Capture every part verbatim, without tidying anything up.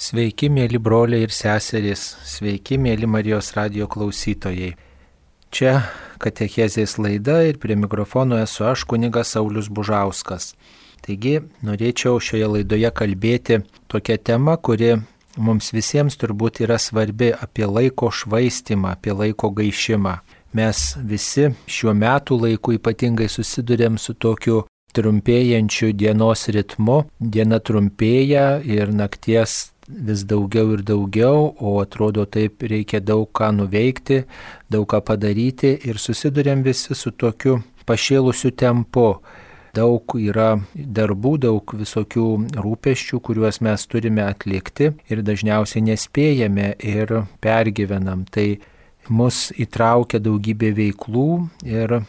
Sveiki, mėly broliai ir seserys, sveiki, mėly Marijos radijo klausytojai. Čia katechezės laida ir prie mikrofono esu aš, kunigas Saulius Bužauskas. Taigi, norėčiau šioje laidoje kalbėti tokią temą, kuri mums visiems turbūt yra svarbi, apie laiko švaistimą, apie laiko gaišimą. Mes visi šiuo metų laiku ypatingai susidurėm su tokiu trumpėjančiu dienos ritmu. Diena trumpėja ir nakties vis daugiau ir daugiau, o atrodo taip reikia daug ką nuveikti, daug ką padaryti ir susidurėm visi su tokiu pašėlusiu tempu. Daug yra darbų, daug visokių rūpesčių, kuriuos mes turime atlikti ir dažniausiai nespėjame ir pergyvenam. Tai mus įtraukia daugybė veiklų ir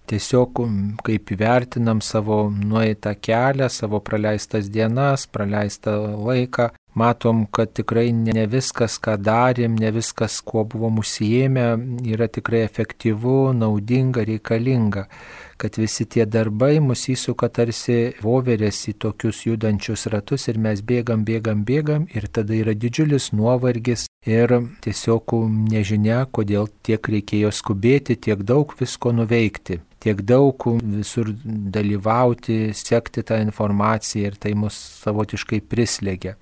tiesiog kaip įvertinam savo nueitą kelią, savo praleistas dienas, praleistą laiką, matom, kad tikrai ne viskas, ką darėm, ne viskas, kuo buvom užsiėmę, yra tikrai efektyvu, naudinga, reikalinga. Kad visi tie darbai mus įsuka tarsi voverės į tokius judančius ratus ir mes bėgam, bėgam, bėgam ir tada yra didžiulis nuovargis ir tiesiog nežinia, kodėl tiek reikėjo skubėti, tiek daug visko nuveikti, tiek daug visur dalyvauti, sekti tą informaciją ir tai mus savotiškai prislėgia.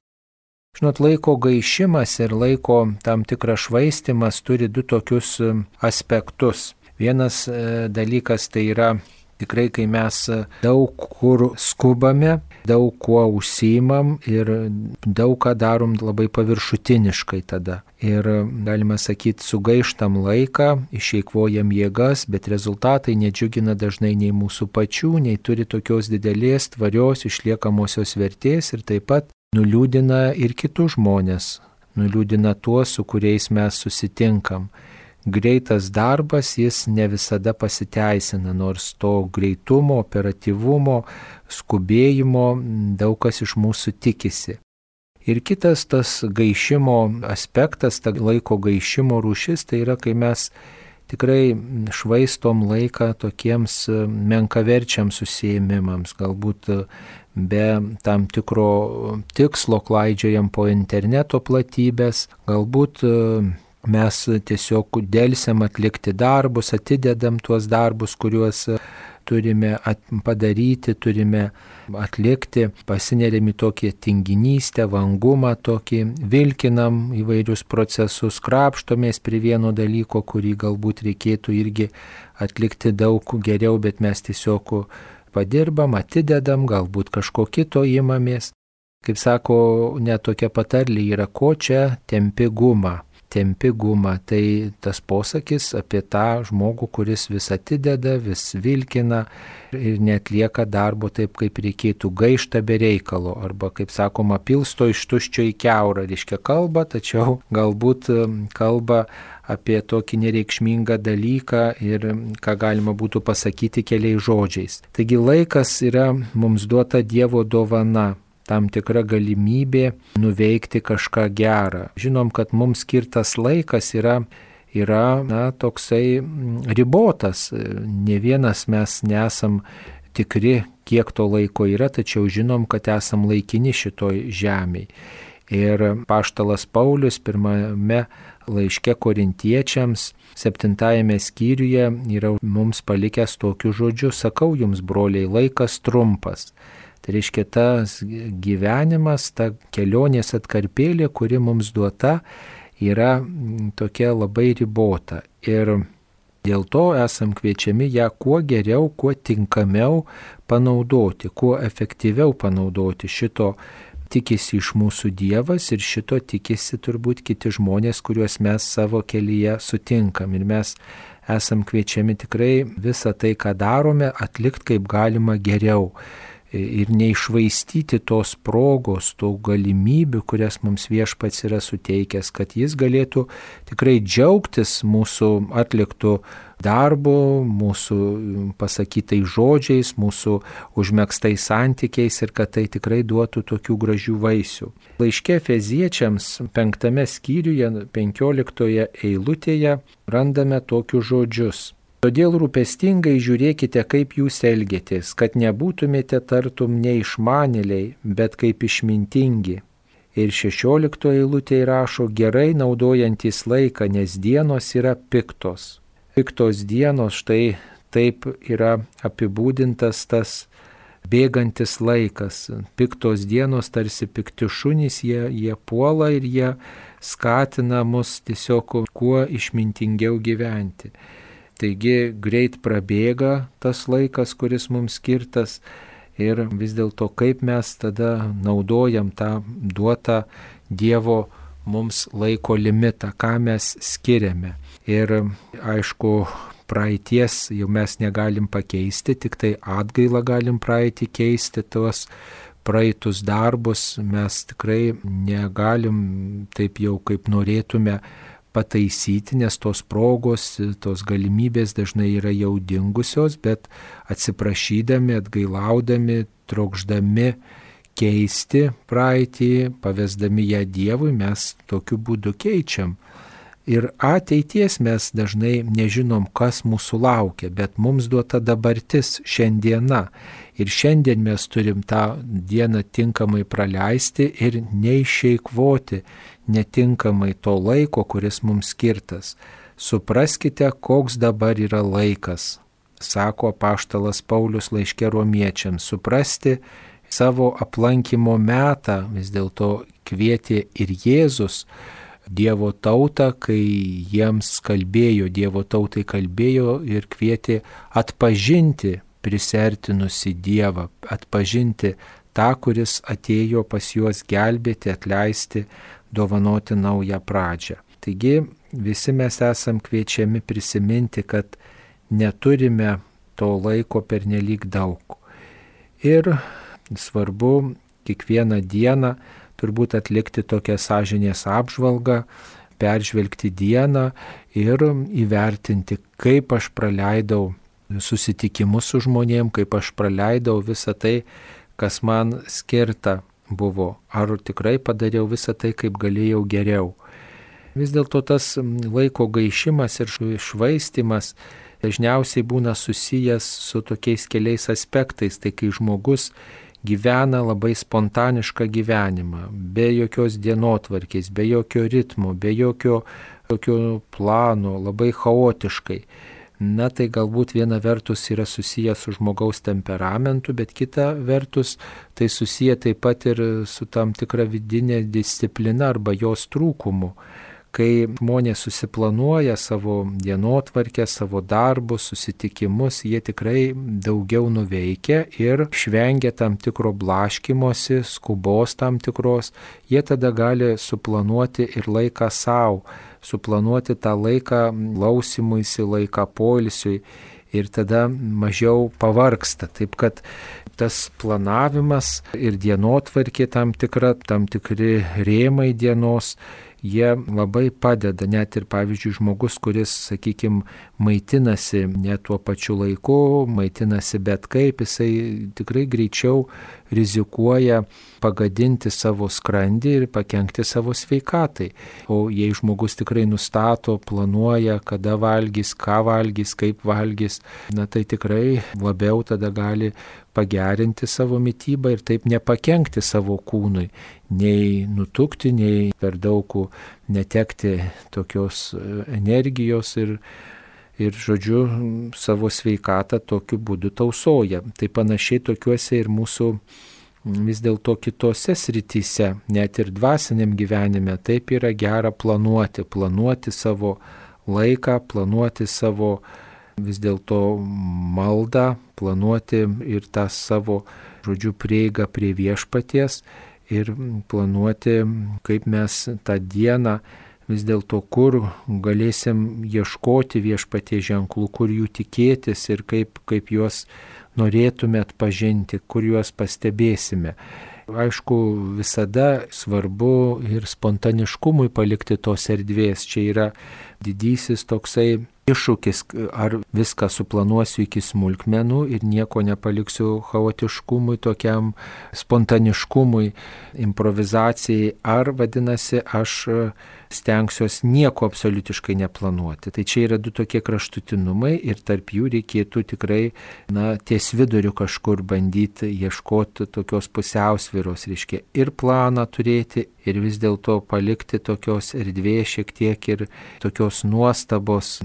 Žinot, laiko gaišimas ir laiko tam tikras švaistimas turi du tokius aspektus. Vienas dalykas tai yra tikrai, kai mes daug kur skubame, daug kuo užsiimam ir daug ką darom labai paviršutiniškai tada. Ir galima sakyti, sugaištam laiką, išeikvojam jėgas, bet rezultatai nedžiugina dažnai nei mūsų pačių, nei turi tokios didelės, tvarios, išliekamosios vertės ir taip pat nuliūdina ir kitus žmonės, nuliūdina tuos, su kuriais mes susitinkam. Greitas darbas, jis ne visada pasiteisina, nors to greitumo, operatyvumo, skubėjimo daug kas iš mūsų tikisi. Ir kitas tas gaišimo aspektas, ta laiko gaišimo rūšis, tai yra, kai mes tikrai švaistom laiką tokiems menkaverčiams užsiėmimams, galbūt be tam tikro tikslo klaidžiojam po interneto platybės, galbūt mes tiesiog delsiam atlikti darbus, atidedam tuos darbus, kuriuos turime padaryti, turime atlikti, pasineriam į tokią tinginystę, vangumą, tokį vilkinam įvairius procesus, krapštomės prie vieno dalyko, kurį galbūt reikėtų irgi atlikti daug geriau, bet mes tiesiog padirbam, atidedam, galbūt kažko kito imamės. Kaip sako, net tokia patarlė yra, ko čia tempi gumą. Tempi gumą, tai tas posakis apie tą žmogų, kuris vis atideda, vis vilkina ir netlieka darbo taip, kaip reikėtų, gaišta be reikalo, arba, kaip sakoma, pilsto iš tuščio į kiaurą, reiškia kalba, tačiau galbūt kalba apie tokį nereikšmingą dalyką ir ką galima būtų pasakyti keliais žodžiais. Taigi laikas yra mums duota Dievo dovana, tam tikra galimybė nuveikti kažką gerą. Žinom, kad mums skirtas laikas yra, yra na, toksai ribotas. Ne vienas mes nesam tikri, kiek to laiko yra, tačiau žinom, kad esam laikini šitoj žemėj. Ir apaštalas Paulius pirmame laiške Korintiečiams, septintajame skyriuje, yra mums palikęs tokius žodžius: sakau jums, broliai, laikas trumpas. Tai reiškia, tas gyvenimas, ta kelionės atkarpėlė, kuri mums duota, yra tokia labai ribota. Ir dėl to esam kviečiami ją kuo geriau, kuo tinkamiau panaudoti, kuo efektyviau panaudoti. Šito tikisi iš mūsų Dievas ir šito tikisi turbūt kiti žmonės, kuriuos mes savo kelyje sutinkam. Ir mes esam kviečiami tikrai visą tai, ką darome, atlikti kaip galima geriau. Ir neišvaistyti tos progos, tų galimybių, kurias mums Viešpats yra suteikęs, kad jis galėtų tikrai džiaugtis mūsų atliktų darbų, mūsų pasakytais žodžiais, mūsų užmegztais santykiais ir kad tai tikrai duotų tokių gražių vaisių. Laiške Efeziečiams penktame skyriuje, penkioliktoje eilutėje randame tokius žodžius. Todėl rūpestingai žiūrėkite, kaip jūs elgiatės, kad nebūtumėte tartum neišmanėliai, bet kaip išmintingi. Ir šešioliktoje eilutėje rašo, gerai naudojantis laiką, nes dienos yra piktos. Piktos dienos, štai taip yra apibūdintas tas bėgantis laikas. Piktos dienos tarsi pikti šunys, jie, jie puola ir jie skatina mus tiesiog kuo išmintingiau gyventi. Taigi greit prabėga tas laikas, kuris mums skirtas ir vis dėlto kaip mes tada naudojam tą duotą Dievo mums laiko limitą, ką mes skiriame. Ir aišku, praeities jau mes negalim pakeisti, tik tai atgailą galim praeitį keisti, tuos praeitus darbus mes tikrai negalim taip jau kaip norėtume pataisyti, nes tos progos, tos galimybės dažnai yra jau dingusios, bet atsiprašydami, atgailaudami, trokšdami keisti praeitį, pavesdami ją Dievui, mes tokiu būdu keičiam. Ir ateities mes dažnai nežinom, kas mūsų laukia, bet mums duota dabartis šiandiena. Ir šiandien mes turim tą dieną tinkamai praleisti ir neišeikvoti netinkamai to laiko, kuris mums skirtas. Supraskite, koks dabar yra laikas, sako apaštalas Paulius laiške Romiečiams. Suprasti savo aplankimo metą vis dėlto kvietė ir Jėzus Dievo tautą, kai jiems kalbėjo, Dievo tautai kalbėjo ir kvietė atpažinti prisertinusi Dievą, atpažinti tą, kuris atėjo pas juos gelbėti, atleisti, dovanoti naują pradžią. Taigi visi mes esam kviečiami prisiminti, kad neturime to laiko pernelyg daug. Ir svarbu kiekvieną dieną turbūt atlikti tokią sąžinės apžvalgą, peržvelgti dieną ir įvertinti, kaip aš praleidau susitikimus su žmonėm, kaip aš praleidau visą tai, kas man skirta buvo. Ar tikrai padariau visą tai, kaip galėjau geriau. Vis dėlto tas laiko gaišimas ir švaistimas dažniausiai būna susijęs su tokiais keliais aspektais. Tai kai žmogus gyvena labai spontanišką gyvenimą, be jokios dienotvarkės, be jokio ritmo, be jokio, jokio plano, labai chaotiškai. Na tai galbūt viena vertus yra susijęs su žmogaus temperamentu, bet kita vertus tai susiję taip pat ir su tam tikra vidinė disciplina arba jos trūkumu. Kai žmonės susiplanuoja savo dienotvarkę, savo darbus, susitikimus, jie tikrai daugiau nuveikia ir švengia tam tikro blaškymosi, skubos tam tikros, jie tada gali suplanuoti ir laiką savo, suplanuoti tą laiką klausimuisi, laiką poilsiui ir tada mažiau pavargsta. Taip kad tas planavimas ir dienotvarkė tam tikra, tam tikri rėmai dienos, jie labai padeda, net ir pavyzdžiui žmogus, kuris, sakykime, maitinasi ne tuo pačiu laiku, maitinasi bet kaip, jisai tikrai greičiau rizikuoja pagadinti savo skrandį ir pakenkti savo sveikatai. O jei žmogus tikrai nustato, planuoja, kada valgys, ką valgys, kaip valgys, na tai tikrai labiau tada gali pagerinti savo mitybą ir taip nepakenkti savo kūnui, nei nutukti, nei per daug netekti tokios energijos ir, ir žodžiu, savo sveikatą tokiu būdu tausoja. Tai panašiai tokiuose ir mūsų vis dėlto kitose srityse, net ir dvasiniam gyvenime, taip yra gera planuoti, planuoti savo laiką, planuoti savo vis dėlto maldą, planuoti ir tą savo, žodžiu, prieigą prie viešpaties ir planuoti, kaip mes tą dieną vis dėlto kur galėsim ieškoti viešpaties ženklų, kur jų tikėtis ir kaip, kaip juos norėtume atpažinti, kur juos pastebėsime. Aišku, visada svarbu ir spontaniškumui palikti tos erdvės. Čia yra didysis toksai iššūkis, ar viską suplanuosiu iki smulkmenų ir nieko nepaliksiu chaotiškumui, tokiam spontaniškumui, improvizacijai, ar vadinasi, aš stengsiuos nieko absoliutiškai neplanuoti. Tai čia yra du tokie kraštutinumai ir tarp jų reikėtų tikrai, na, ties viduriu kažkur bandyti ieškoti tokios pusiausvyros, reiškia ir planą turėti, ir vis dėlto palikti tokios erdvės šiek tiek ir tokios nuostabos,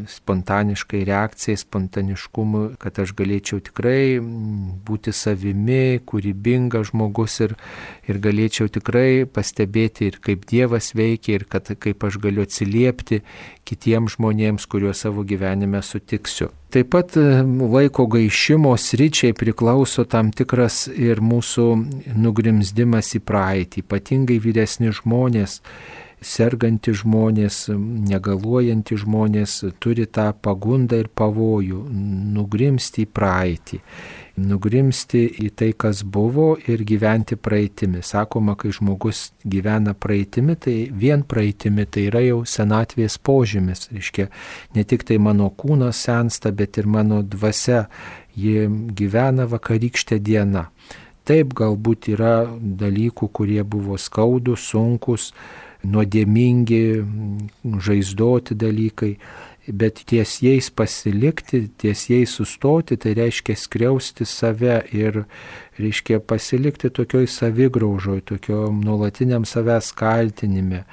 spontaniškai reakcijai, spontaniškumui, kad aš galėčiau tikrai būti savimi, kūrybingas žmogus ir, ir galėčiau tikrai pastebėti ir kaip Dievas veikia ir kad kaip aš galiu atsiliepti kitiems žmonėms, kuriuos savo gyvenime sutiksiu. Taip pat laiko gaišimo sričiai priklauso tam tikras ir mūsų nugrimzdimas į praeitį, ypatingai vyresni žmonės, sergantys žmonės, negaluojantys žmonės turi tą pagundą ir pavojų nugrimsti į praeitį, nugrimsti į tai, kas buvo ir gyventi praeitimi. Sakoma, kai žmogus gyvena praeitimi, tai vien praeitimi tai yra jau senatvės požymis. Reiškia, ne tik tai mano kūnas sensta, bet ir mano dvasia, ji gyvena vakarykštę dieną. Taip, galbūt yra dalykų, kurie buvo skaudus, sunkus, nuodėmingi, žaizdoti dalykai, bet ties jais pasilikti, ties jais sustoti, tai reiškia skriausti save ir reiškia pasilikti tokioj savigraužoj, tokio nuolatiniam savęs kaltinime.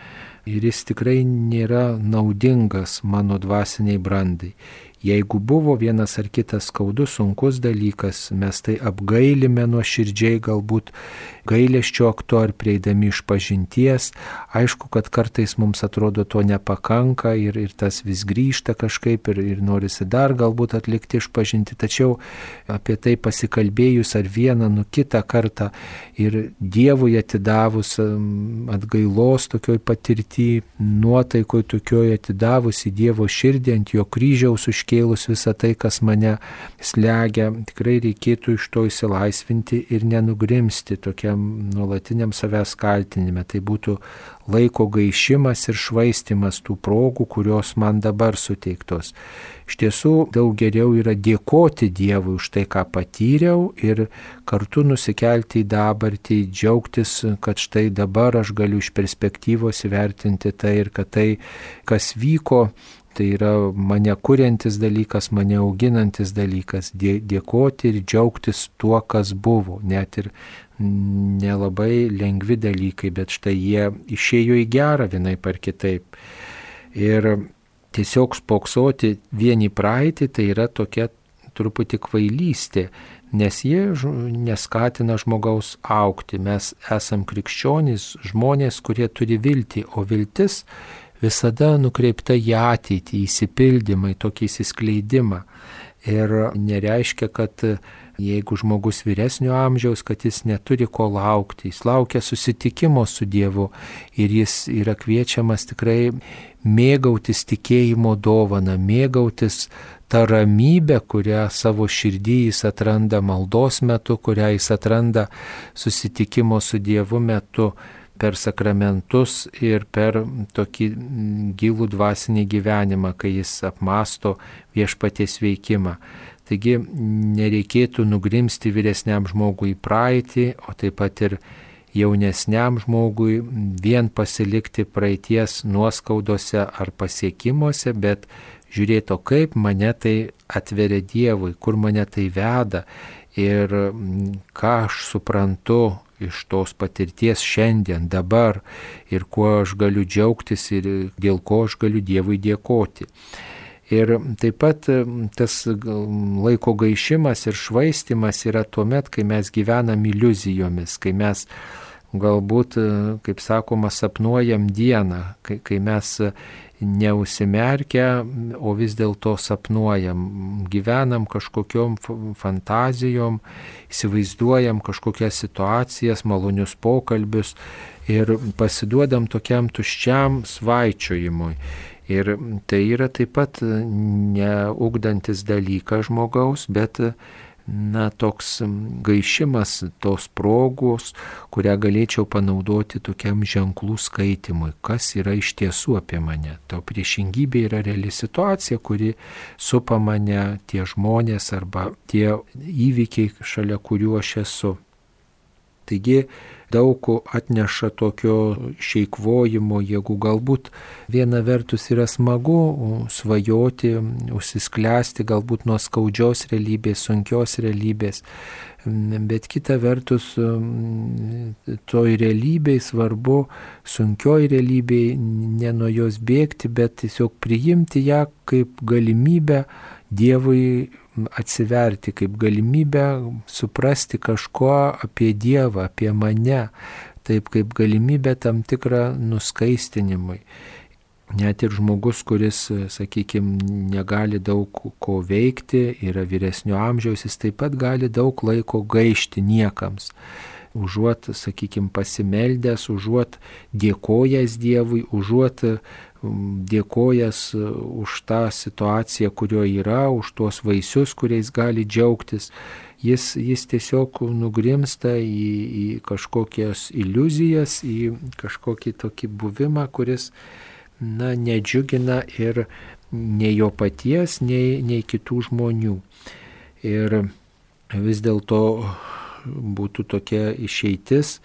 Ir jis tikrai nėra naudingas mano dvasiniai brandai. Jeigu buvo vienas ar kitas skaudus, sunkus dalykas, mes tai apgailime nuoširdžiai, galbūt gailesčio aktu ar prieidami iš pažinties. Aišku, kad kartais mums atrodo to nepakanka ir, ir tas vis grįžta kažkaip ir, ir norisi dar galbūt atlikti iš pažinti. Tačiau apie tai pasikalbėjus ar vieną, nu kitą kartą ir Dievui atidavus atgailos tokioj patirtį, nuotaikoj tokioj atidavus į Dievo širdį, ant jo kryžiaus užkėlus visą tai, kas mane slegia, tikrai reikėtų iš to išsilaisvinti ir nenugrimsti tokiam nuolatiniam savęs kaltinime. Tai būtų laiko gaišimas ir švaistimas tų progų, kurios man dabar suteiktos. Iš tiesų, daug geriau yra dėkoti Dievui už tai, ką patyriau ir kartu nusikelti į dabartį, džiaugtis, kad štai dabar aš galiu iš perspektyvos įvertinti tai ir kad tai, kas vyko, tai yra mane kuriantis dalykas, mane auginantis dalykas, dėkoti ir džiaugtis tuo, kas buvo, net ir nelabai lengvi dalykai, bet štai jie išėjo į gerą vienaip ar kitaip. Ir tiesiog spoksoti vien į praeitį, tai yra tokia truputį kvailystė, nes jie neskatina žmogaus augti. Mes esam krikščionys, žmonės, kurie turi viltį, o viltis visada nukreipta į ateitį, į įsipildymą, į tokį įsiskleidimą. Ir nereiškia, kad jeigu žmogus vyresnio amžiaus, kad jis neturi ko laukti, jis laukia susitikimo su Dievu ir jis yra kviečiamas tikrai mėgautis tikėjimo dovaną, mėgautis tą ramybę, kurią savo širdį jis atranda maldos metu, kurią jis atranda susitikimo su Dievu metu, per sakramentus ir per tokį gilų dvasinį gyvenimą, kai jis apmąsto viešpaties veikimą. Taigi nereikėtų nugrimsti vyresniam žmogui į praeitį, o taip pat ir jaunesniam žmogui vien pasilikti praeities nuoskaudose ar pasiekimuose, bet žiūrėti, kaip mane tai atveria Dievui, kur mane tai veda ir ką aš suprantu iš tos patirties šiandien, dabar ir kuo aš galiu džiaugtis ir dėl ko aš galiu Dievui dėkoti. Ir taip pat tas laiko gaišimas ir švaistimas yra tuomet, kai mes gyvenam iliuzijomis, kai mes galbūt, kaip sakoma, sapnuojam dieną, kai, kai mes neužsimerkę, o vis dėlto sapnuojam, gyvenam kažkokiom fantazijom, įsivaizduojam kažkokias situacijas, malonius pokalbius ir pasiduodam tokiam tuščiam svaičiojimui. Ir tai yra taip pat neugdantis dalykas žmogaus, bet na, toks gaišimas tos progos, kurią galėčiau panaudoti tokiam ženklų skaitimui, kas yra iš tiesų apie mane. To priešingybė yra reali situacija, kuri supa mane, tie žmonės arba tie įvykiai, šalia kurių aš esu. Taigi daug atneša tokio išeikvojimo jėgų. Galbūt viena vertus yra smagu svajoti, užsisklęsti galbūt nuo skaudžios realybės, sunkios realybės, bet kita vertus toj realybėj svarbu, sunkioj realybėj ne nuo jos bėgti, bet tiesiog priimti ją kaip galimybę Dievui atsiverti, kaip galimybę suprasti kažko apie Dievą, apie mane, taip kaip galimybę tam tikrą nuskaistinimui. Net ir žmogus, kuris, sakykime, negali daug ko veikti, yra vyresnio amžiaus, jis taip pat gali daug laiko gaišti niekams. Užuot, sakykime, pasimeldęs, užuot dėkojęs Dievui, užuot dėkojęs už tą situaciją, kurioje yra, už tuos vaisius, kuriais gali džiaugtis, jis, jis tiesiog nugrimsta į, į kažkokias iliuzijas, į kažkokį tokį buvimą, kuris, na, nedžiugina ir nei jo paties, nei, nei kitų žmonių. Ir vis dėlto būtų tokia išeitis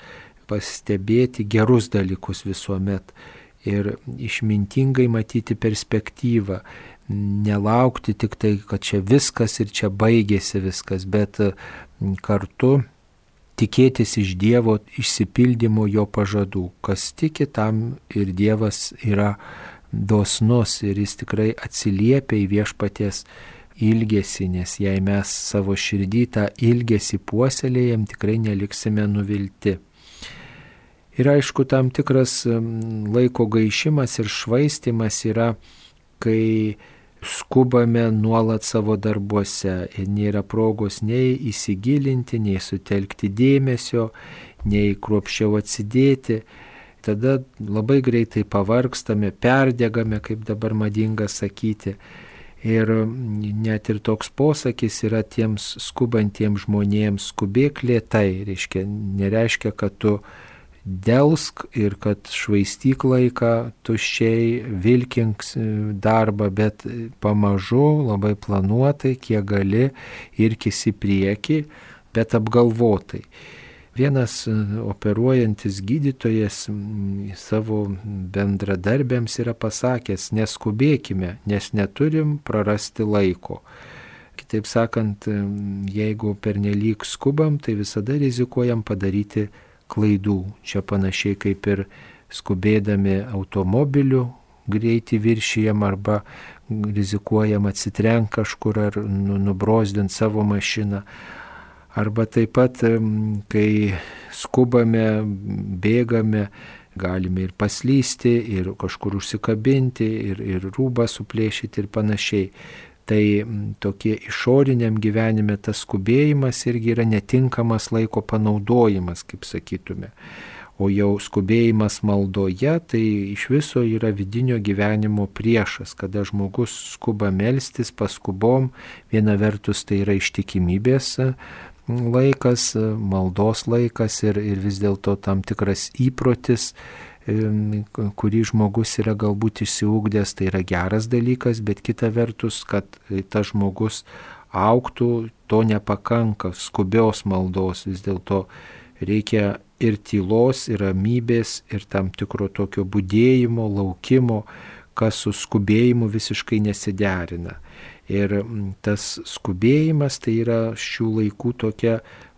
pastebėti gerus dalykus visuomet ir išmintingai matyti perspektyvą, nelaukti tik tai, kad čia viskas ir čia baigėsi viskas, bet kartu tikėtis iš Dievo išsipildymo jo pažadų. Kas tiki, tam ir Dievas yra dosnus ir jis tikrai atsiliepia į viešpaties ilgesį, nes jei mes savo širdį tą ilgesį puoselėjam, tikrai neliksime nuvilti. Ir aišku, tam tikras laiko gaišimas ir švaistimas yra, kai skubame nuolat savo darbuose ir nėra progos nei įsigilinti, nei sutelkti dėmesio, nei kruopščiau atsidėti. Tada labai greitai pavargstame, perdegame, kaip dabar madinga sakyti. Ir net ir toks posakis yra tiems skubantiems žmonėms: skubėk lėtai, reiškia, nereiškia, kad tu delsk ir kad švaistyk laiką tuščiai, vilkink darbą, bet pamažu, labai planuotai, kiek gali, irkis į priekį, bet apgalvotai. Vienas operuojantis gydytojas savo bendradarbiams yra pasakęs: neskubėkime, nes neturim prarasti laiko. Kitaip sakant, jeigu pernelyg skubam, tai visada rizikuojam padaryti klaidų. Čia panašiai kaip ir skubėdami automobiliu greitį viršijam arba rizikuojam atsitrenkt kažkur ar nubrozdint savo mašiną. Arba taip pat, kai skubame, bėgame, galime ir paslysti, ir kažkur užsikabinti, ir, ir rūbą suplėšyti ir panašiai. Tai tokie išoriniam gyvenime tas skubėjimas irgi yra netinkamas laiko panaudojimas, kaip sakytume. O jau skubėjimas maldoje, tai iš viso yra vidinio gyvenimo priešas, kada žmogus skuba melstis paskubom. Viena vertus tai yra ištikimybės laikas, maldos laikas ir, ir vis dėlto tam tikras įprotis, kurį žmogus yra galbūt išsiugdęs, tai yra geras dalykas, bet kita vertus, kad tas žmogus augtų, to nepakanka, skubios maldos, vis dėlto reikia ir tylos, ir ramybės, ir tam tikro tokio budėjimo, laukimo, kas su skubėjimu visiškai nesiderina. Ir tas skubėjimas tai yra šių laikų tokia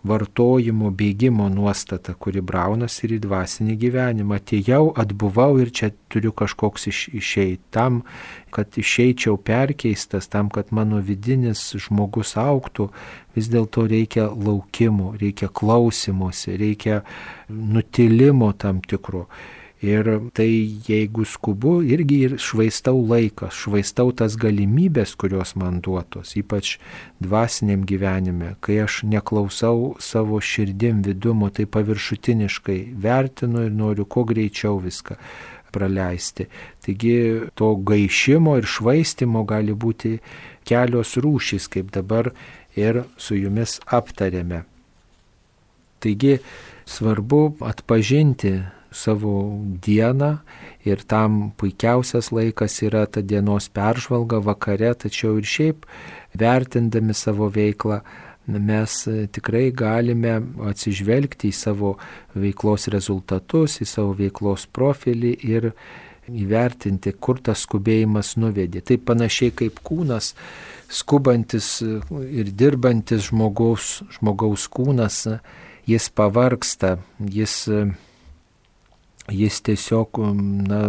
vartojimo, bėgimo nuostata, kuri braunasi ir į dvasinį gyvenimą. Atėjau, atbuvau ir čia turiu kažkoks iš, išeit. Tam, kad išeičiau perkeistas, tam, kad mano vidinis žmogus augtų, vis dėlto reikia laukimo, reikia klausymosi, reikia nutilimo tam tikro. Ir tai jeigu skubu, irgi ir švaistau laiką, švaistau tas galimybės, kurios man duotos, ypač dvasiniam gyvenime, kai aš neklausau savo širdim vidumo, tai paviršutiniškai vertinu ir noriu kuo greičiau viską praleisti. Taigi to gaišimo ir švaistimo gali būti kelios rūšys, kaip dabar ir su jumis aptarėme. Taigi svarbu atpažinti savo dieną ir tam puikiausias laikas yra ta dienos peržvalga vakare, tačiau ir šiaip vertindami savo veiklą mes tikrai galime atsižvelgti į savo veiklos rezultatus, į savo veiklos profilį ir įvertinti, kur tas skubėjimas nuvedė. Tai panašiai kaip kūnas, skubantis ir dirbantis žmogaus, žmogaus kūnas, jis pavargsta, jis, jis tiesiog na,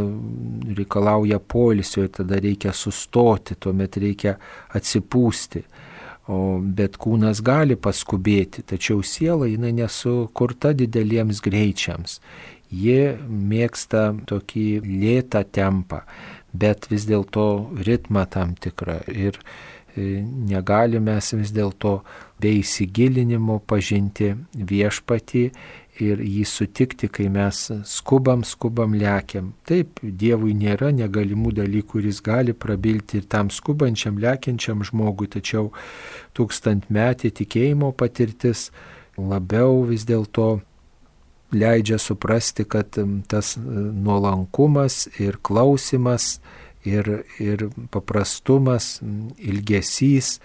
reikalauja poilsio ir tada reikia sustoti, tuomet reikia atsipūsti. O, bet kūnas gali paskubėti, tačiau siela jinai nesukurta dideliems greičiams. Ji mėgsta tokį lėtą tempą, bet vis dėlto ritmą tam tikrą. Ir negalime mes vis dėlto be įsigilinimo pažinti viešpatį ir jį sutikti, kai mes skubam, skubam, lekiam. Taip, Dievui nėra negalimų dalykų, kuris gali prabilti ir tam skubančiam, lekiančiam žmogui, tačiau tūkstantmetė tikėjimo patirtis labiau vis dėlto leidžia suprasti, kad tas nuolankumas ir klausimas ir, ir paprastumas, ilgesys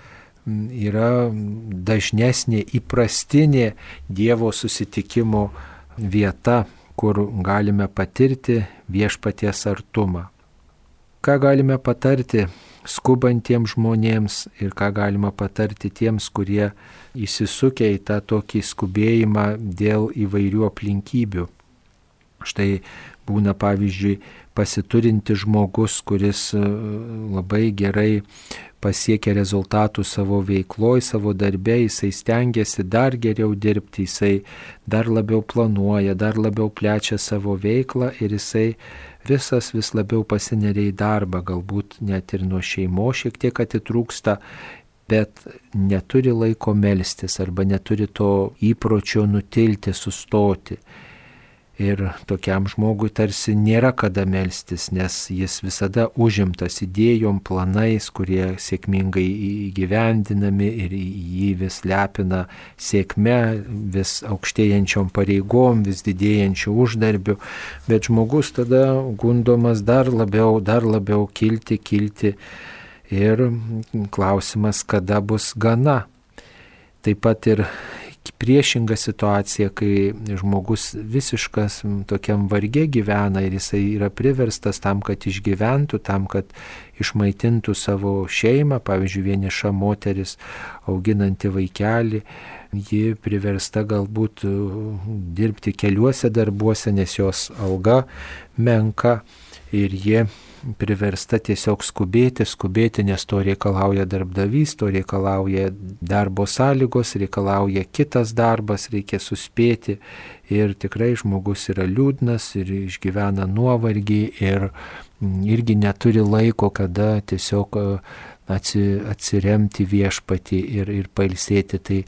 yra dažnesnė, įprastinė Dievo susitikimo vieta, kur galime patirti viešpaties artumą. Ką galime patarti skubantiems žmonėms ir ką galima patarti tiems, kurie įsisukę į tą tokį skubėjimą dėl įvairių aplinkybių. Štai būna pavyzdžiui pasiturinti žmogus, kuris labai gerai pasiekia rezultatų savo veikloj, savo darbe, jisai stengiasi dar geriau dirbti, jisai dar labiau planuoja, dar labiau plečia savo veiklą ir jisai visas vis labiau pasineria į darbą, galbūt net ir nuo šeimos šiek tiek atitrūksta, bet neturi laiko melstis arba neturi to įpročio nutilti, sustoti. Ir tokiam žmogui tarsi nėra kada melstis, nes jis visada užimtas idėjom, planais, kurie sėkmingai įgyvendinami ir jį vis lepina sėkme, vis aukštėjančiom pareigom, vis didėjančių uždarbių, bet žmogus tada gundomas dar labiau, dar labiau kilti, kilti ir klausimas, kada bus gana. Taip pat ir priešinga situacija, kai žmogus visiškas tokiam varge gyvena ir jisai yra priverstas tam, kad išgyventų, tam, kad išmaitintų savo šeimą, pavyzdžiui, vieniša moteris auginanti vaikelį, ji priversta galbūt dirbti keliuose darbuose, nes jos alga menka ir jie priversta tiesiog skubėti, skubėti, nes to reikalauja darbdavys, to reikalauja darbo sąlygos, reikalauja kitas darbas, reikia suspėti ir tikrai žmogus yra liūdnas ir išgyvena nuovargį ir irgi neturi laiko, kada tiesiog atsiremti viešpatį ir, ir pailsėti. Tai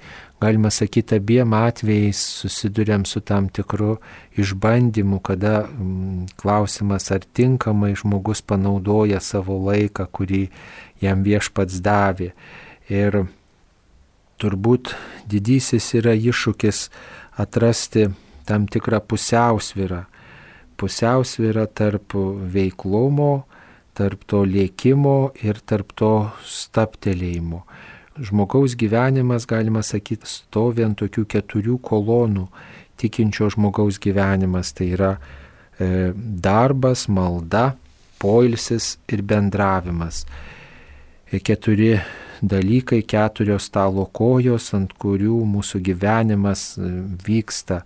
galima sakyti, abiem atvejais susiduriam su tam tikru išbandymu, kada mm, klausimas, ar tinkamai žmogus panaudoja savo laiką, kurį jam viešpats davė. Ir turbūt didysis yra iššūkis atrasti tam tikrą pusiausvyrą. Pusiausvyrą tarp veiklumo, tarp to lėkimo ir tarp to staptelėjimo. Žmogaus gyvenimas, galima sakyti, stovi ant tokių keturių kolonų. Tikinčio žmogaus gyvenimas tai yra e, darbas, malda, poilsis ir bendravimas. E, keturi dalykai, keturios stalo kojos, ant kurių mūsų gyvenimas e, vyksta,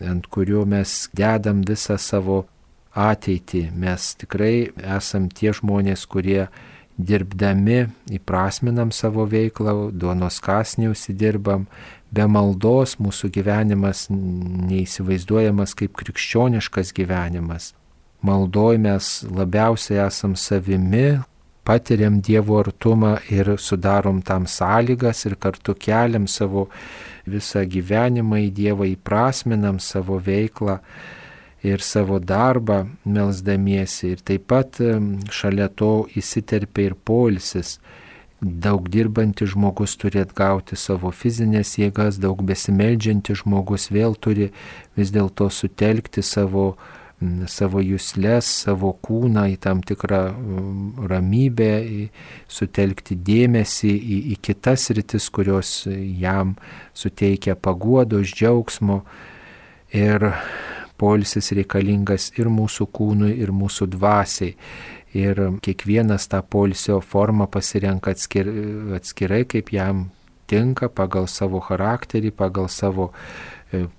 ant kurių mes dedam visą savo ateitį. Mes tikrai esam tie žmonės, kurie dirbdami įprasminam savo veiklą, duonos kąsnį užsidirbam. Be maldos mūsų gyvenimas neįsivaizduojamas kaip krikščioniškas gyvenimas. Maldoj mes labiausiai esam savimi, patiriam Dievo artumą ir sudarom tam sąlygas ir kartu keliam savo visą gyvenimą į Dievą, įprasminam savo veiklą ir savo darbą melsdamiesi. Ir taip pat šalia to įsiterpia ir poilsis. daug dirbantis žmogus turi atgauti savo fizinės jėgas, daug besimeldžiantis žmogus vėl turi vis dėlto sutelkti savo, savo juslės, savo kūną į tam tikrą ramybę, sutelkti dėmesį į, į kitas rytis, kurios jam suteikia paguodos, džiaugsmo. Ir poilsis reikalingas ir mūsų kūnui, ir mūsų dvasiai. Ir kiekvienas tą poilsio formą pasirenka atskir, atskirai, kaip jam tinka, pagal savo charakterį, pagal savo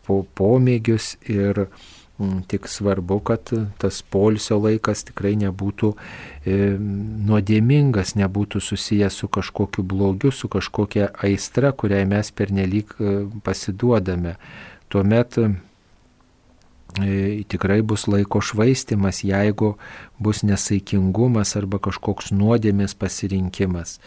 po, pomėgius. Ir m, tik svarbu, kad tas poilsio laikas tikrai nebūtų e, nuodėmingas, nebūtų susijęs su kažkokiu blogiu, su kažkokia aistra, kuriai mes pernelyg e, pasiduodame. Tuomet E, tikrai bus laiko švaistimas, jeigu bus nesaikingumas arba kažkoks nuodėmės pasirinkimas.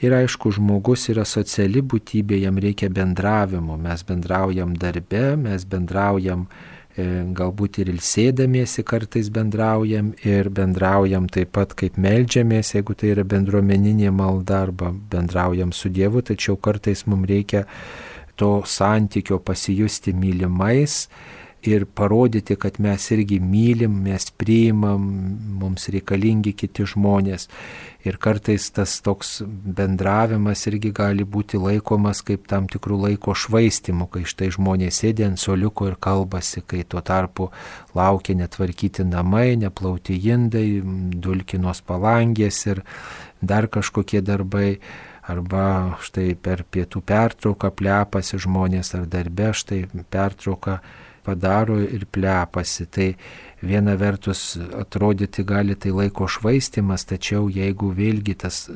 Ir aišku, žmogus yra sociali būtybė, jam reikia bendravimo. Mes bendraujam darbe, mes bendraujam e, galbūt ir ilsėdamiesi kartais bendraujam ir bendraujam taip pat kaip meldžiamės, jeigu tai yra bendruomeninė malda, arba bendraujam su Dievu, tačiau kartais mums reikia to santykio, pasijusti mylimais ir parodyti, kad mes irgi mylim, mes priimam, mums reikalingi kiti žmonės. Ir kartais tas toks bendravimas irgi gali būti laikomas kaip tam tikrų laiko švaistimu, kai štai žmonės sėdi ant suoliuko ir kalbasi, kai tuo tarpu laukia netvarkyti namai, neplauti indai, dulkinos palangės ir dar kažkokie darbai. Arba štai per pietų pertrauką plepasi žmonės, ar darbe štai pertrauką padaro ir plepasi. Tai viena vertus atrodyti gali tai laiko švaistimas, tačiau jeigu vėlgi tas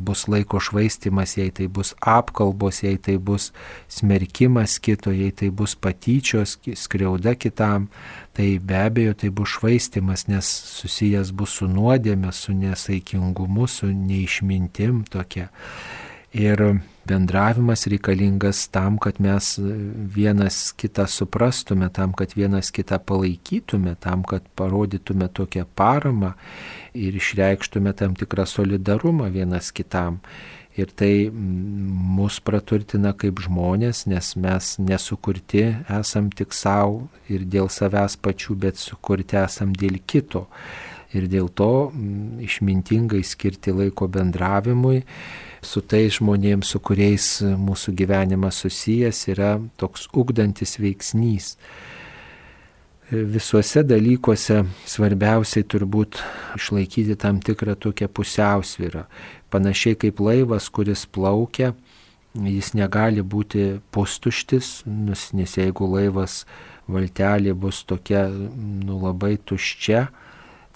bus laiko švaistimas, jei tai bus apkalbos, jei tai bus smerkimas kito, jei tai bus patyčios, skriauda kitam, tai be abejo tai bus švaistimas, nes susijęs bus su nuodėme, su nesaikingumu, su neišmintim tokia. Ir bendravimas reikalingas tam, kad mes vienas kitą suprastume, tam, kad vienas kitą palaikytume, tam, kad parodytume tokią paramą ir išreikštume tam tikrą solidarumą vienas kitam. Ir tai mus praturtina kaip žmonės, nes mes nesukurti esam tik savo ir dėl savęs pačių, bet sukurti esam dėl kito. Ir dėl to išmintingai skirti laiko bendravimui su tais žmonėms, su kuriais mūsų gyvenimas susijęs, yra toks ugdantis veiksnys. Visuose dalykuose svarbiausiai turbūt išlaikyti tam tikrą tokią pusiausvyrą. Panašiai kaip laivas, kuris plaukia, jis negali būti pustuštis, nes jeigu laivas valtelė bus tokia nu, labai tuščia,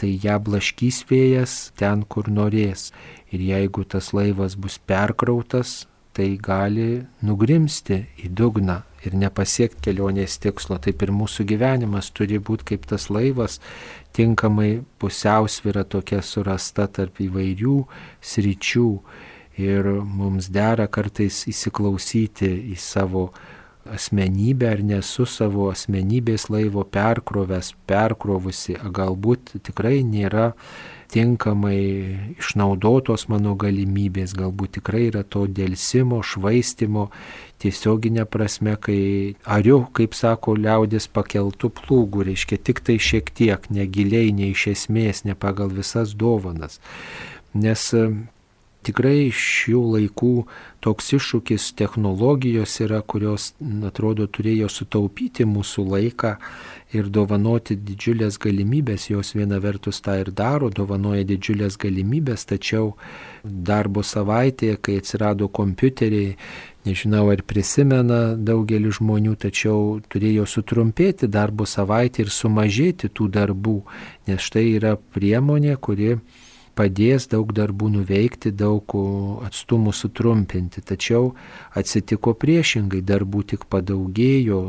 tai ją blaškys vėjas ten, kur norės. Ir jeigu tas laivas bus perkrautas, tai gali nugrimsti į dugną ir nepasiekti kelionės tikslo. Taip ir mūsų gyvenimas turi būti kaip tas laivas, tinkamai pusiausvyra tokia surasta tarp įvairių sričių. Ir mums dera kartais įsiklausyti į savo asmenybę, ar nesu savo asmenybės laivo perkrovęs, perkrovusi, galbūt tikrai nėra tinkamai išnaudotos mano galimybės, galbūt tikrai yra to delsimo, švaistimo, tiesioginė prasme, kai ariu, kaip sako liaudis, pakeltų plūgų, reiškia tik tai šiek tiek, negiliai, ne iš esmės, ne pagal visas dovanas. Nes tikrai šių laikų toks iššūkis technologijos yra, kurios, atrodo, turėjo sutaupyti mūsų laiką ir dovanoti didžiulės galimybės. Jos viena vertus tą ir daro, dovanoja didžiulės galimybės, tačiau darbo savaitėje, kai atsirado kompiuteriai, nežinau ar prisimena daugelis žmonių, tačiau turėjo sutrumpėti darbo savaitę ir sumažėti tų darbų, nes štai yra priemonė, kuri padės daug darbų nuveikti, daug atstumų sutrumpinti. Tačiau atsitiko priešingai, darbų tik padaugėjo,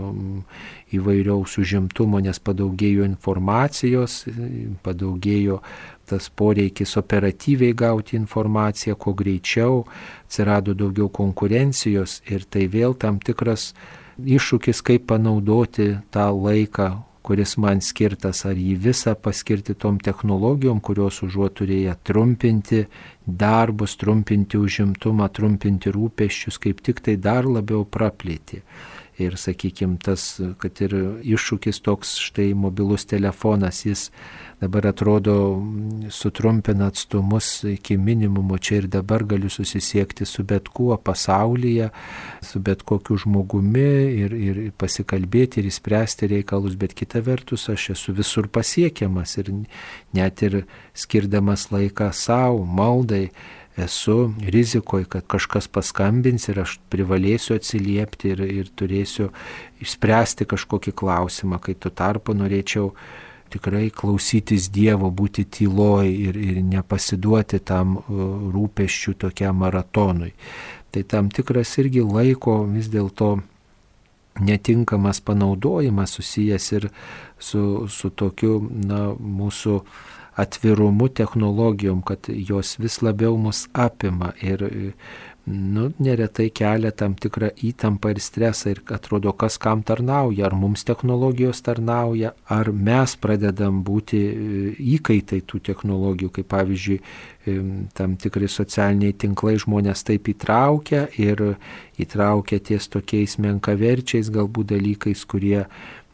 įvairiaus užimtumo, nes padaugėjo informacijos, padaugėjo tas poreikis operatyviai gauti informaciją, kuo greičiau, atsirado daugiau konkurencijos ir tai vėl tam tikras iššūkis, kaip panaudoti tą laiką, kuris man skirtas, ar jį visą paskirti tom technologijom, kurios užuot turėję trumpinti darbus, trumpinti užimtumą, trumpinti rūpesčius, kaip tik tai dar labiau praplėtė. Ir, sakykime, tas, kad ir iššūkis toks, štai mobilus telefonas, jis dabar atrodo sutrumpina atstumus iki minimumo, čia ir dabar galiu susisiekti su bet kuo pasaulyje, su bet kokiu žmogumi ir, ir pasikalbėti ir įspręsti reikalus, bet kita vertus aš esu visur pasiekiamas ir net ir skirdamas laiką savo, maldai, esu rizikoje, kad kažkas paskambins ir aš privalėsiu atsiliepti ir, ir turėsiu išspręsti kažkokį klausimą, kai tuo tarpu norėčiau tikrai klausytis Dievo, būti tyloj ir, ir nepasiduoti tam rūpesčių tokiam maratonui. Tai tam tikras irgi laiko vis dėlto netinkamas panaudojimas susijęs ir su, su tokiu, na, mūsų atvirumu technologijom, kad jos vis labiau mus apima ir, nu, neretai kelia tam tikrą įtampą ir stresą ir atrodo, kas kam tarnauja, ar mums technologijos tarnauja, ar mes pradedam būti įkaitai tų technologijų, kaip pavyzdžiui, tam tikrai socialiniai tinklai žmonės taip įtraukia ir įtraukia ties tokiais menkaverčiais galbūt dalykais, kurie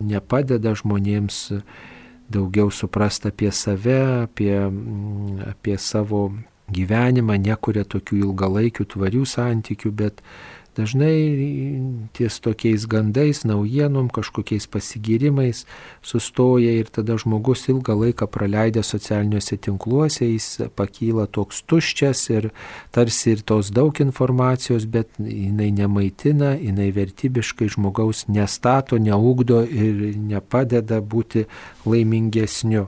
nepadeda žmonėms daugiau suprasti apie save, apie, apie savo gyvenimą, nekuria tokių ilgalaikių tvarių santykių, bet dažnai ties tokiais gandais, naujienom, kažkokiais pasigyrimais sustoja ir tada žmogus ilgą laiką praleidęs socialiniuose tinkluose, jis pakyla toks tuščias ir tarsi ir tos daug informacijos, bet jinai nemaitina, jinai vertybiškai žmogaus nestato, neugdo ir nepadeda būti laimingesniu.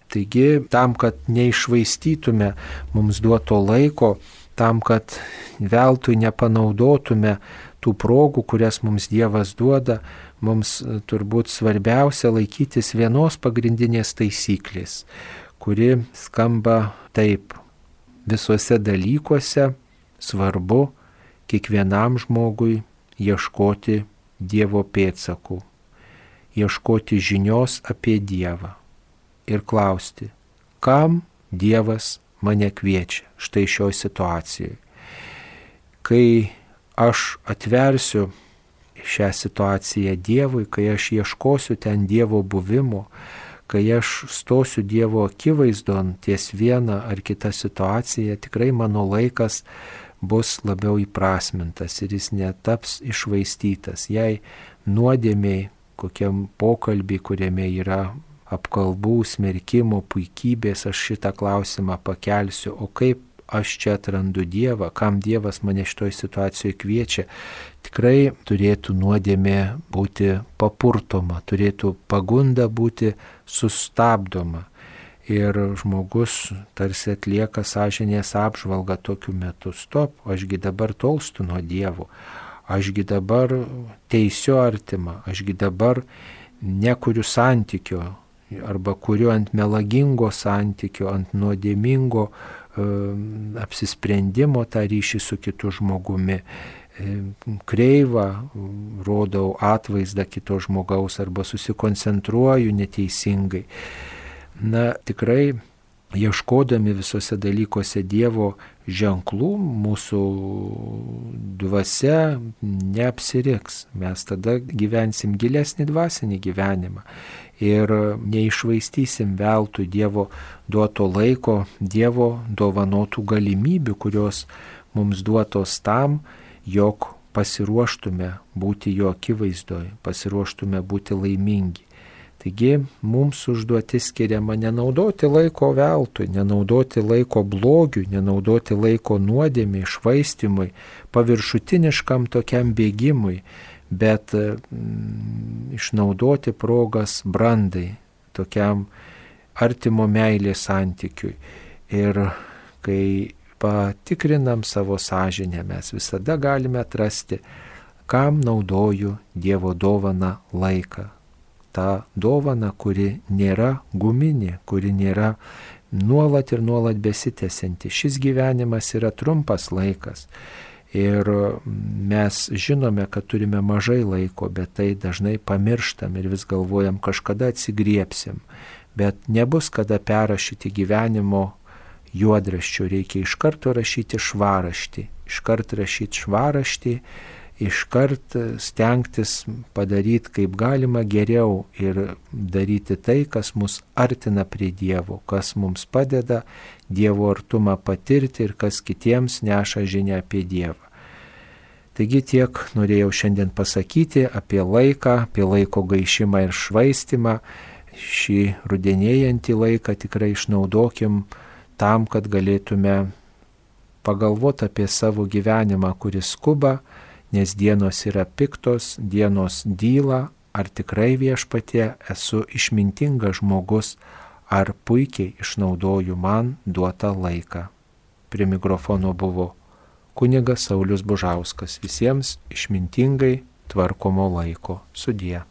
Taigi, tam, kad neišvaistytume mums duoto laiko, tam, kad veltui nepanaudotume tų progų, kurias mums Dievas duoda, mums turbūt svarbiausia laikytis vienos pagrindinės taisyklės, kuri skamba taip: visuose dalykuose svarbu kiekvienam žmogui ieškoti Dievo pėdsakų, ieškoti žinios apie Dievą ir klausti, kam Dievas mane kviečia štai šioje situacijoje. Kai aš atversiu šią situaciją Dievui, kai aš ieškosiu ten Dievo buvimo, kai aš stosiu Dievo akivaizdon ties vieną ar kitą situaciją, tikrai mano laikas bus labiau įprasmintas ir jis netaps išvaistytas. Jei nuodėmiai, kokiam pokalbį, kuriame yra apkalbų, smerkimo, puikybės, aš šitą klausimą pakelsiu, o kaip aš čia atrandu Dievą, kam Dievas mane šitoj situacijoje kviečia, tikrai turėtų nuodėmė būti papurtoma, turėtų pagunda būti sustabdoma. Ir žmogus tarsi atlieka sąžinės apžvalgą tokiu metu: stop, ašgi dabar tolstu nuo Dievo, ašgi dabar teisiu artimą, ašgi dabar nekuriu santykio, arba kuriu ant melagingo santykio, ant nuodėmingo e, apsisprendimo tą ryšį su kitu žmogumi. E, kreivą rodau atvaizdą kito žmogaus arba susikoncentruoju neteisingai. Na, tikrai ieškodami visose dalykuose Dievo ženklų, mūsų dvasia neapsiriks. Mes tada gyvensim gilesnį dvasinį gyvenimą ir neišvaistysim veltui Dievo duoto laiko, Dievo dovanotų galimybių, kurios mums duotos tam, jog pasiruoštume būti jo akivaizdoje, pasiruoštume būti laimingi. Taigi mums užduotis skiriama nenaudoti laiko veltui, nenaudoti laiko blogiui, nenaudoti laiko nuodėmiai, švaistimui, paviršutiniškam tokiam bėgimui, bet mm, išnaudoti progas brandai, tokiam artimo meilės santykiui. Ir kai patikrinam savo sąžinę, mes visada galime atrasti, kam naudoju Dievo dovaną laiką. Ta dovana, kuri nėra guminė, kuri nėra nuolat ir nuolat besitęsianti. Šis gyvenimas yra trumpas laikas Ir mes žinome, kad turime mažai laiko, bet tai dažnai pamirštam ir vis galvojam, kažkada atsigriepsim. Bet nebus kada perrašyti gyvenimo juodraščių, reikia iš karto rašyti švaraštį. Iš karto rašyti švaraštį, iš karto stengtis padaryti kaip galima geriau ir daryti tai, kas mus artina prie Dievo, kas mums padeda Dievo artumą patirti ir kas kitiems neša žinią apie Dievą. Taigi tiek norėjau šiandien pasakyti apie laiką, apie laiko gaišimą ir švaistimą. Šį rudenėjantį laiką tikrai išnaudokim tam, kad galėtume pagalvoti apie savo gyvenimą, kuris skuba, nes dienos yra piktos, dienos dyla, ar tikrai Viešpatie esu išmintingas žmogus, ar puikiai išnaudoju man duotą laiką. Prie mikrofono buvo kunigas Saulius Bužauskas. Visiems išmintingai tvarkomo laiko. Sudie.